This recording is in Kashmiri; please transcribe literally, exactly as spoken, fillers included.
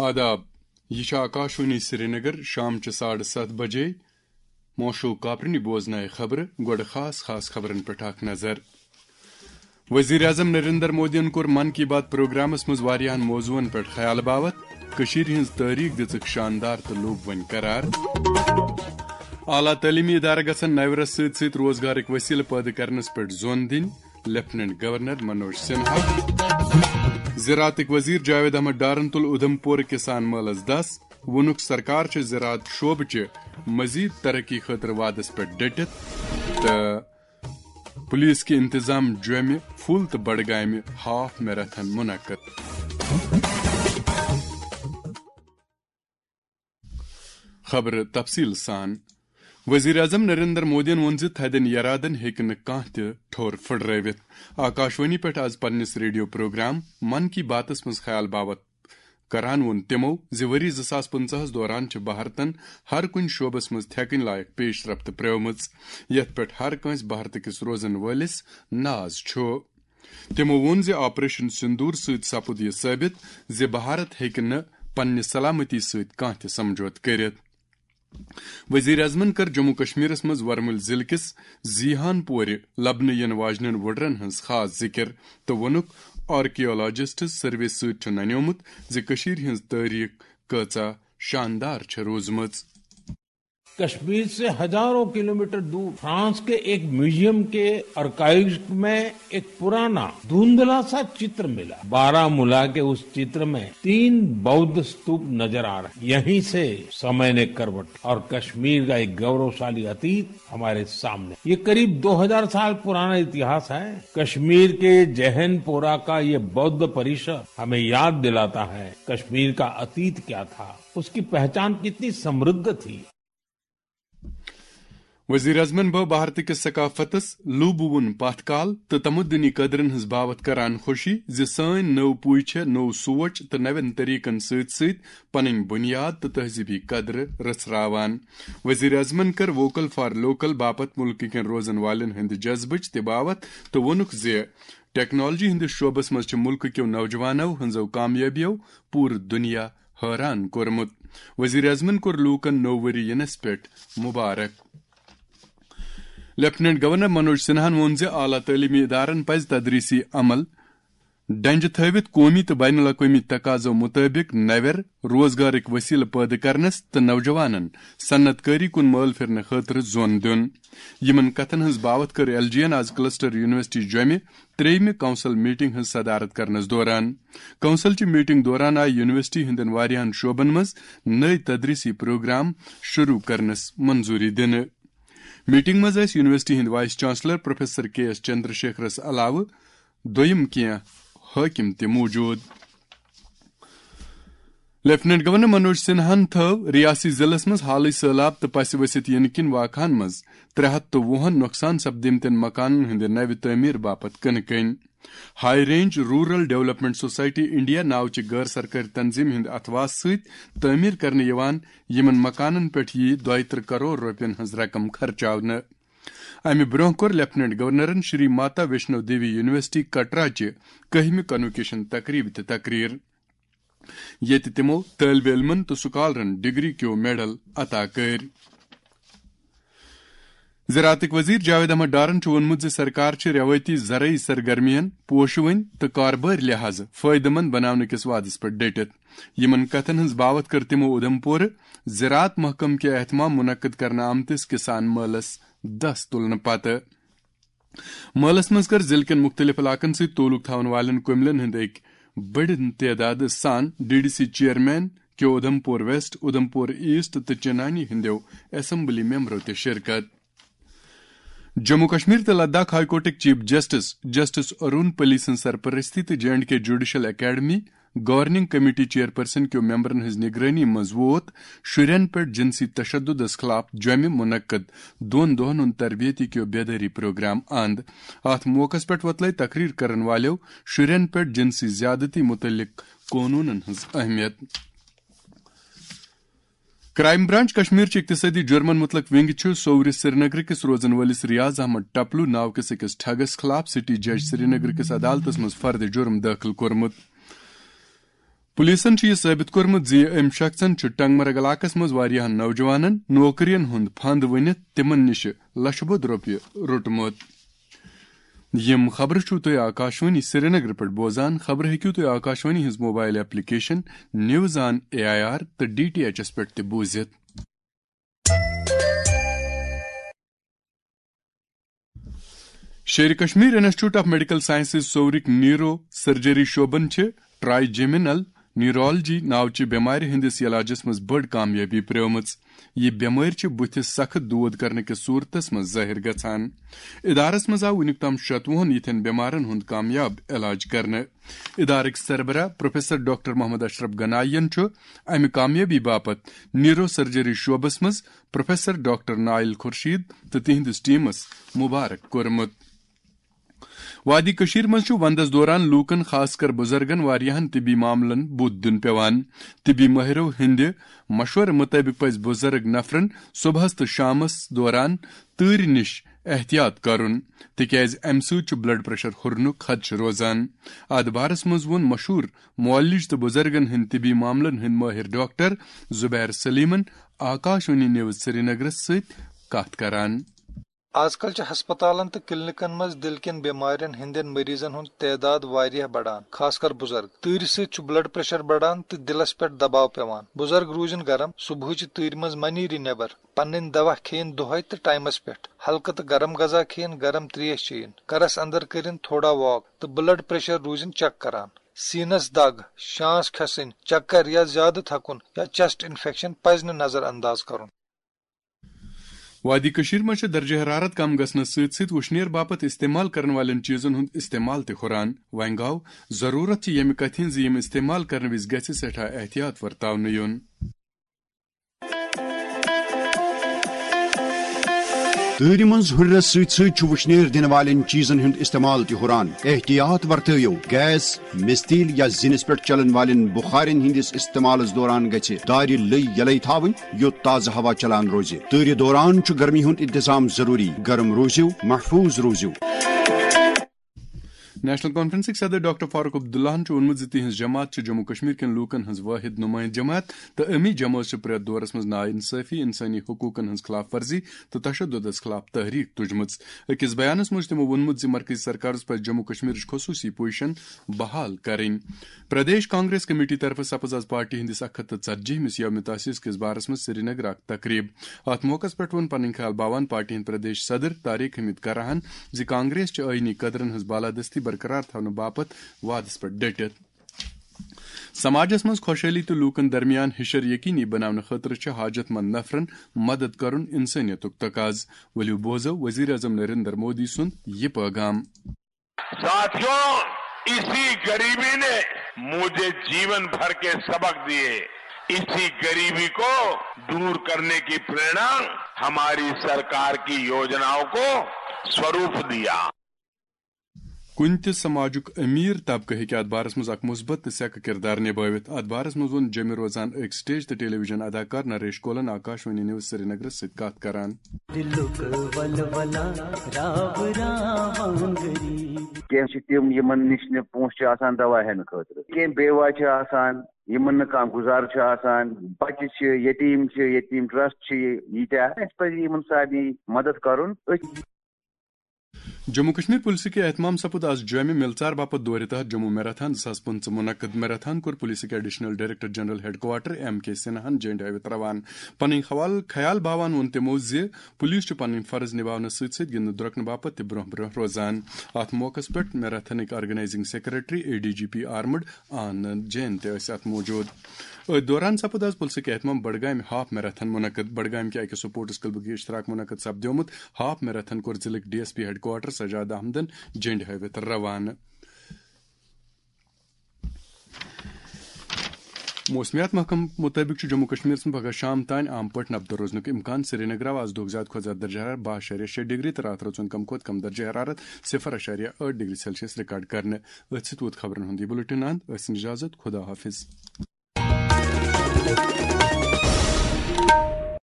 آداب، یہِ چھِ آکاشوانی سرینگر، شام چہِ ساڑٕ ستھ بجے۔ موشو کاپرنی بوزنایہِ خبرٕ، گۄڈٕ خاص خاص خبرن پٮ۪ٹھ اکھ نظر۔ وزیر اعظم نریندر مودیَن کوٚر من کی بات پروگرامس منٛز واریاہن موضوعن پٮ۪ٹھ خیال باوت۔ کٔشیٖرِ ہٕنٛز تٲریخ دِژٕکھ شاندار تہٕ لوٚب وۄنۍ قرار۔ اعلیٰ تعلیمی ادارٕ گژھن نوِ رس سۭتۍ سۭتۍ روزگارٕکۍ وسیلہٕ پٲدٕ کرنس پٮ۪ٹھ زون دِنۍ، لیفٹیننٹ گورنر منوج سنہا۔ زراعتٕکۍ وزیر جاوید احمد ڈارن تُل اُدھمپور کسان مٲلس دس، ووٚنُکھ سرکار چھِ زراعت شعبہٕ چہِ مزید ترقی خٲطرٕ وعدس پٮ۪ٹھ ڈٔٹِتھ تہٕ پولیس کہِ انتظام جوٚمہِ پھُل تہٕ بڈگامہِ ہاف میراتھن منعقد۔ خبرٕ تفصیل سان۔ وزیر اعظم نریندر مودیَن ووٚن زِ تھدٮ۪ن یرادن ہیٚکہِ نہٕ کانٛہہ تہِ ٹھوٚر پھٕٹرٲوِتھ۔ آکاشوانی پٮ۪ٹھ آز پننِس ریڈیو پروگرام من کی باتس منٛز خیال باوت کران ووٚن تِمو زِ ؤری زٕ ساس پٕنٛژٕہس دوران چھِ بھارتن ہر کُنہِ شعبس منٛز تھٮ۪کٕنۍ لایق پیش رفت پرٛٲومٕژ، یتھ پٮ۪ٹھ ہر کٲنٛسہِ بھارتہٕ کِس روزن وٲلِس ناز چھُ۔ تِمو ووٚن زِ آپریشن سندور سۭتۍ سپُد یہِ ثٲبت زِ بھارت ہیٚکہِ نہٕ پننہِ سلامتی سۭتۍ کانٛہہ تہِ سمجھوتہٕ کٔرِتھ۔ وزیر اعظمن کٔر جموں کشمیرس منٛز ورمُلۍ ضلعہٕ کِس زیہان پورِ لبنہٕ یِنہٕ واجنٮ۪ن وُڈرن ہٕنٛز خاص ذِکر تہٕ ووٚنُکھ، آرکیالوجسٹس سروے سۭتۍ چھُ ننیومُت زِ کٔشیٖرِ ہٕنٛز تٲریخ کۭژاہ شاندار چھےٚ روٗزمٕژ۔ کشمیر سے ہزاروں کلومیٹر دور فرانس کے ایک میوزیم کے آرکائیوز میں ایک پرانا دھندلا سا چتر ملا۔ بارہ ملا کے اس چتر میں تین بودھ ستوپ نظر آ رہے ہیں۔ یہیں سے سمے نے کروٹ اور کشمیر کا ایک گورشالی اتیت ہمارے سامنے۔ یہ قریب دو ہزار سال پرانا اتہاس ہے۔ کشمیر کے جہن پورا کا یہ بودھ پریشر ہمیں یاد دلاتا ہے کشمیر کا اتیت کیا تھا، اس کی پہچان کتنی سمردھ تھی۔ وزیر اعظمن بٲو بھارت کِس ثقافتس لوٗبہٕ وُن پتھ کال تہٕ تمدنی قدرن ہٕنٛز باوتھ کران خوشی زِ سٲنۍ نٔو پُے چھےٚ نوٚو سونچ تہٕ نوٮ۪ن طریقن سۭتۍ سۭتۍ پنٕنۍ بُنیاد تہٕ تہذیبی قدرٕ رژھراوان۔ وزیر اعظمن کٔر ووکل فار لوکل باپتھ مُلکہٕ کٮ۪ن روزن والٮ۪ن ہٕنٛدِ جذبٕچ تہِ باوتھ تہٕ ووٚنُکھ زِ ٹیکنالوجی ہٕنٛدِس شعبس منٛز چھِ مُلکہٕ کیو نوجوانو ہٕنٛزو کامیٲبیو پوٗرٕ دُنیا حٲران کوٚرمُت۔ وزیر اعظمن کوٚر لوٗکن نوٚو ؤری ینس پٮ۪ٹھ مبارک۔ لیفٹیننٹ گورنر منوج سنہاہن ووٚن زِ اعلیٰ تعلیمی ادارن پزِ تدریسی عمل ڈنجہِ تھٲوِتھ قومی تہٕ بین الاقوٲمی تقاضو مطٲبق نوٮ۪ر روزگارٕکۍ وسیلہٕ پٲدٕ کرنس تہٕ نوجوانن صنعت کٲری کُن مٲل پھرنہٕ خٲطرٕ زون دیُن۔ یِمن کتھن ہٕنٛز باوتھ کٔر ایل جی ین آز کلسٹر یونیورسٹی جوٚمہِ ترٛیٚیمہِ کونسل میٹنگ ہٕنٛز صدارت کرنس دوران۔ کونسل چہِ میٹنگ دوران آیہِ یونیورسٹی ہٕنٛدٮ۪ن واریاہن شعبن منٛز نٔوۍ تدریسی پروگرام شروع کرنس منظوری دِنہٕ۔ میٹنگ منٛز ٲسۍ یونیورسٹی ہٕنٛدۍ وائس چانسلر پروفیسر کے ایس چندرشیکھرس علاوٕ دوٚیم کینٛہہ حٲکم تہِ موجود۔ لیفٹیننٹ گورنر منوج سنہاہن تھٲو ریاستی ضلعس منٛز حالٕے سٔہلاب تہٕ پسہِ ؤسِتھ ینہٕ کِنۍ واقعن منٛز ترٛےٚ ہتھ تہٕ وُہن نۄقصان سپدیمتٮ۪ن مکانن ہٕنٛدِ نوِ تعمیٖر باپتھ کٕنہٕ کٔنۍ۔ High range rural development society India ناوچہِ غٲر سرکٲرۍ تنظیمہِ ہٕنٛدِ اتھواسہٕ سۭتۍ تعمیٖر کرنہٕ یِوان یِمن مکانن پٮ۪ٹھ یِیہِ دۄیہِ ترٕہ کرور رۄپین ہٕنٛز رقم خرچاونہٕ۔ امہِ برٛونٛہہ کوٚر لیفٹیننٹ گورنرن شری ماتا ویشنو دیوی یونیورسٹی کٹرا چہِ کٔہمہِ کنوکیشن تقریبہِ تہِ تقریر، ییٚتہِ تِمو طٲلبہِ علمن تہٕ سکالرن ڈگری کیو میڈل عطا کٔرۍ۔ زراعتٕکۍ وزیر جاوید احمد ڈارن چھُ ووٚنمُت زِ سرکار چھِ روایتی زرعی سرگرمین پوشہٕ وٕنۍ تہٕ کاربٲرۍ لحاظہٕ فٲیدٕ مند بناونہٕ کِس وعدس پٮ۪ٹھ ڈٔٹِتھ۔ یِمن کتھن ہٕنٛز باوتھ کٔر تِمو اُدھمپورٕ زراعت محکمہٕ کہِ اہتمام منعقد کرنہٕ آمتِس کسان مٲلس دس تُلنہٕ پتہٕ۔ مٲلس منٛز کٔر ضلعہٕ کٮ۪ن مُختٔلِف علاقن سۭتۍ تعلق تھاون والٮ۪ن کُملٮ۪ن ہٕنٛدۍ أکۍ بٔڑٮ۪ن تعدادٕ سان ڈی ڈی سی چیئرمین کیو اُدھمپور ویسٹ، اُدھمپور ایسٹ تہٕ چنانی ہٕنٛدیو اسمبلی ممبرو تہِ شرکت۔ جموں کشمیر تہٕ لداخ ہائی کورٹٕکۍ chief justice, justice Arun Palli سٕنٛز سرپرستی تہٕ J and K judicial academy governing committee chairperson کیو ممبرن ہٕنٛز نگرٲنی منٛز ووت شُرٮ۪ن پٮ۪ٹھ جنسی تشددس خلاف جوٚمہِ منعقد دۄن دۄہن ہُنٛد تربیتی کیو بیدٲری پروگرام اند۔ اتھ موقعس پٮ۪ٹھ وۄتلٲے تقریر کرن والٮ۪و شُرٮ۪ن پٮ۪ٹھ جنسی زیادتی متعلق قونوٗنن ہٕنٛز اہمیت۔ کرائم برانچ کشمیر چہِ اقتصٲدی جرمن متعلق ونگ چھُ سوورِ سرینگر کِس روزن وٲلِس ریاض احمد ٹپلو ناو کِس أکِس ٹھگس خلاف سٹی جج سرینگر کِس عدالتس منٛز فرد جرم دٲخل کوٚرمُت۔ پولیسن چھُ یہِ ثٲبت کوٚرمُت زِ أمۍ شخصن چھُ ٹنگمرگ علاقس منٛز واریاہن نوجوانن نوکرین ہُنٛد پھند ؤنِتھ تِمن نِش لچھٕ بوٚد رۄپیہِ روٚٹمُت۔ یِم خبرٕ چھِو تُہۍ آکاشوانی سرینگرٕ پٮ۪ٹھ بوزان۔ خبرٕ ہیٚکِو تُہۍ آکاشوانی ہٕنٛز mobile application news on A I R تہٕ ڈی ٹی ایچ ایس پٮ۪ٹھ تہِ بوٗزِتھ۔ Sher-e Kashmir institute of medical sciences سورٕکۍ نیورو سرجری شعبن چھِ ٹرائیجیمینل نیورولوجی ناوچہِ بٮ۪مارِ ہٕنٛدِس علاجس منٛز بٔڑ کامیٲبی پرٛٲومٕژ۔ یہِ بٮ۪مٲرۍ چھِ بُتھِس سخت دود کرنہٕ کِس صورتس منٛز ظٲہِر گژھان۔ ادارس منٛز آو وُنیُک تام شتوُہن یِتھٮ۪ن بٮ۪مارن ہُنٛد کامیاب علاج کرنہٕ۔ ادارٕکۍ سربراہ پروفیسر ڈاکٹر محمد اشرف گنائی ین چھُ امہِ کامیٲبی باپتھ نیورو سرجری شعبس منٛز پروفیسر ڈاکٹر نائل خورشید تہٕ تِہنٛدِس ٹیمس مبارک کوٚرمُت۔ وادی کٔشیٖر منٛز چھُ وندس دوران لوٗکن، خاص کر بُزرگن، واریاہن طبی معاملن بُتھ دیُن پٮ۪وان۔ طبی مٲہرو ہٕنٛدِ مشورٕ مُطٲبِق پزِ بُزرگ نفرن صبحس تہٕ شامس دوران تۭرِ نِش احتیاط کرُن، تِکیازِ امہِ سۭتۍ چھُ بلڈ پریشر ہُرنُک خدشہٕ روزان۔ اتھ بارس منٛز ووٚن مشہوٗر معالج تہٕ بُزرگن ہٕنٛدۍ طبی معاملن ہٕنٛدۍ مٲہِر ڈاکٹر زبیر سلیمن آکاشوانی نیوز سرینگرس سۭتۍ کتھ کران۔ آز کل چھِ ہسپتالن تہٕ کلینکن منٛز دِل کٮ۪ن بٮ۪مارٮ۪ن ہٕنٛدٮ۪ن مریضن ہُنٛد تعداد واریاہ بڑان، خاص کر بُزرگ۔ تۭرِ سۭتۍ چھُ بلڈ پریشر بڑان تہٕ دِلس پٮ۪ٹھ دباو پٮ۪وان۔ بُزرگ روٗزِن گرم، صبحٕچہِ تۭرِ منٛز مہ نیٖرِن نٮ۪بر۔ پنٕنۍ دوا کھیٚیِن دۄہے تہٕ ٹایمس پٮ۪ٹھ۔ ہلکہٕ تہٕ گرم غذا کھیٚیِن، گرم تریش چیٚیِن۔ گرس اندر کٔرِن تھوڑا واک تہٕ بلڈ پریشر روٗزِن چیک کران۔ سینس دگ، شانس کھسٕنۍ، چکر یا زیادٕ تھکُن یا چیسٹ انفیکشن پزِ نہٕ نظر انداز کرُن۔ وادی کٔشیٖر منٛز چھِ درجہ حرارت کم گژھنس سۭتۍ سۭتۍ وُشنیر باپتھ استعمال کرن والٮ۪ن چیٖزن ہُنٛد استعمال تہِ ہُران۔ وۄنۍ گوٚو ضروٗرت چھِ ییٚمہِ کتھِ ہٕنٛز زِ یِم استعمال کرنہٕ وِزِ گژھِ سٮ۪ٹھاہ احتیاط ورتاونہٕ یُن۔ تۭرِ منٛز ہُرنس سۭتۍ سۭتۍ چھُ وُشنیر دِنہٕ والٮ۪ن چیٖزن ہُنٛد استعمال تہِ ہُران۔ احتیاط ورتٲیِو، گیس، مِستیٖل یا زِنِس پٮ۪ٹھ چلن والٮ۪ن بُخارٮ۪ن ہٕنٛدِس استعمالس دوران گژھِ دارِ لٔے یلے تھاوٕنۍ، یوٚت تازٕ ہوا چلان روزِ۔ تۭرِ دوران چھُ گرمی ہُنٛد انتظام ضروٗری۔ گرم روٗزِو، محفوٗظ روٗزِو۔ نیشنل کانفرنسٕکۍ صدر ڈاکٹر فاروق عبداللہن چھُ ووٚنمُت زِ تِہنٛز جماعت چھِ جموں کشمیر کٮ۪ن لوٗکن ہٕنٛز وٲحد نُمٲیِنٛدٕ جماعت تہٕ اَمی جمٲژ چھِ پرٛٮ۪تھ دورس منٛز ناانصٲفی، انسٲنی حقوٗقن ہٕنٛز خلاف ورزی تہٕ تشددس خلاف تحریک تُجمٕژ۔ أکِس بیانس منٛز چھُ تِمو ووٚنمُت زِ مرکزی سرکارس پزِ جموں کشمیرٕچ خصوٗصی پوزیشن بحال کرٕنۍ۔ پردیش کانگریس کمیٹی طرفہٕ سپٕز آز پارٹی ہٕنٛدِس اکھ ہتھ تہٕ ژتجی ہِمِس یوم تاسیس کِس بارس منٛز سرینگرٕ اکھ تقریب۔ اتھ موقعس پٮ۪ٹھ ووٚن پنٕنۍ خیال باوان پارٹی ہٕنٛدۍ پردیش صدر طارق حمید کراہن زِ کانگریس چھِ آئینی قدرن ہٕنٛز بالادستی برقرار تھاونہٕ باپتھ وعدس پٮ۪ٹھ ڈٔٹِتھ۔ سماجس منٛز خۄشحٲلی تہٕ لوٗکن درمیان ہِشر یقینی بناونہٕ خٲطرٕ چھُ حاجت مند نفرن مدد کرُن انسٲنیتُک تقاضہٕ۔ ؤلِو بوزو وزیر اعظم نریندر مودی سُنٛد یہِ پٲغام۔ साथियों, इसी गरीबी ने मुझे जीवन भर के सबक दिए। इसी गरीबी को दूर करने की प्रेरणा हमारी सरकार की योजनाओं को स्वरूप दिया। کُنہِ تہِ سماجُک امیر طبقہٕ ہیٚکہِ اتھ بارس منٛز اکھ مثبت تہٕ سیٚکہٕ کردار نبٲوِتھ۔ اتھ بارس منٛز ووٚن جیٚمہِ روزان أکۍ سٹیج تہٕ ٹیلی ویژن اداکار نریش کولن آکاشوانی نیوز سرینگرس سۭتۍ کتھ کران۔ دلُک ولولہ راو راوان غریب۔ کینٛہہ چھِ تِم یِمن نِش نہٕ پونٛسہٕ چھِ آسان دوا ہٮ۪نہٕ خٲطرٕ، کینٛہہ بے وجہ چھِ آسان، یِمن نہٕ کانٛہہ گُزارٕ چھُ آسان، بچہِ چھِ، یتیٖم چھِ، یتیٖم ٹرسٹ چھِ ییٖتیٛاہ۔ اَسہِ پزِ یِمن سارنٕے مدد کرُن۔ أتھۍ۔ جموں کشمیر پُلسٕکہِ اہتمام سپُد آز جوٚمہِ مِلژار باپتھ دورِ تحت جموں میراتھان زٕ ساس پٕنٛژٕہ منعقد۔ میراتھان کوٚر پُلسٕکہِ additional director general headquarter M K سنہاہن جھنڈ ہٲوِتھ روانہٕ۔ پنٕنۍ حوالہٕ خیال باوان ووٚن تِمو زِ پُلیٖس چھُ پنٕنۍ فرض نِباونہٕ سۭتۍ سۭتۍ گِنٛدنہٕ درٛۄکنہٕ باپتھ تہِ برٛونٛہہ برٛونٛہہ روزان۔ اتھ موقعس پٮ۪ٹھ میراتھنٕکۍ organising secretary, A D G P armed Anand Jain تہِ ٲسۍ اتھ موجود۔ أتھۍ دوران سپُد آز پُلسٕکۍ اہتمام بڈگامہِ ہاف میراتھن منعقد۔ بڈگامہِ کہِ اکہِ سپورٹس کلبٕکۍ اشتراک منعقد سپدیومُت ہاف میراتھن کوٚر ضلعٕکۍ D S P headquarter Sajad احمدن جھنڈِ ہٲوِتھ روانہٕ۔ موسمیات محکمہٕ مُطٲبِق چھُ جموں کشمیرس منٛز پگہہ شام تام عام پٲٹھۍ نبدٕ روزنُک امکان۔ سرینگرٕ آو آز دۄہُک زیادٕ کھۄتہٕ زیادٕ درجہ حرارت باہ اعشاریہ شےٚ ڈگری تہٕ راتھ روٗد کم کھۄتہٕ کم درجہ حرارت صفر اعشاریہ ٲٹھ ڈگری سیلسیس ریکارڈ کرنہٕ۔ أتھۍ سۭتۍ ووت خبرن ہُنٛد یہِ بُلٹن اند۔ ٲسِن اجازت، خدا حافظ۔